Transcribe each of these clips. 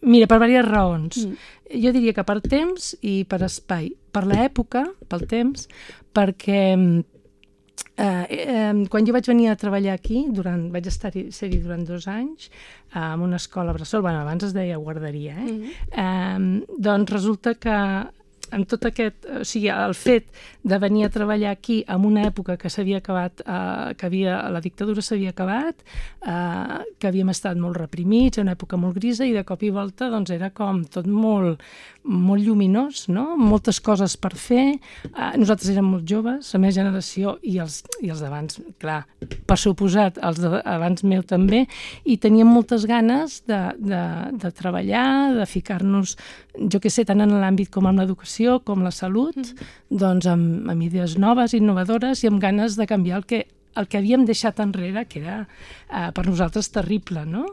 Mira, per diverses raons. Jo diria que per temps i per espai. Per l'època, pel temps, perquè quan jo vaig venir a treballar aquí, vaig ser-hi durant 2 anys, en una escola bressol, abans es deia guarderia, doncs resulta que amb tot aquest, o sigui, el fet de venir a treballar aquí en una època que s'havia acabat, la dictadura s'havia acabat, que havíem estat molt reprimits, una època molt grisa, i de cop i volta doncs era com tot molt lluminós, no? Moltes coses per fer. Nosaltres érem molt joves, la meva generació, i els d'abans, clar, per suposat, els d'abans meu també, i teníem moltes ganes de treballar, de ficar-nos, jo què sé, tant en l'àmbit com en l'educació, com la salut, doncs amb idees noves, innovadores, i amb ganes de canviar el que havíem deixat enrere, que era per nosaltres terrible, no?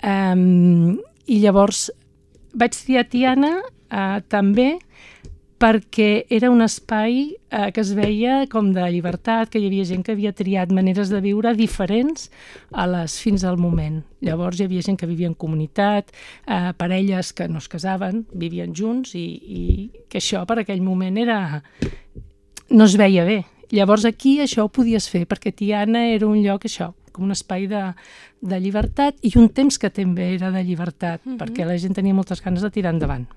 I llavors vaig triar Tiana també perquè era un espai que es veia com de llibertat, que hi havia gent que havia triat maneres de viure diferents a les fins al moment. Llavors hi havia gent que vivia en comunitat, parelles que no es casaven, vivien junts, i que això per aquell moment no es veia bé. Llavors aquí això ho podies fer, perquè Tiana era un lloc, això, com un espai de llibertat, i un temps que també era de llibertat, perquè la gent tenia moltes ganes de tirar endavant.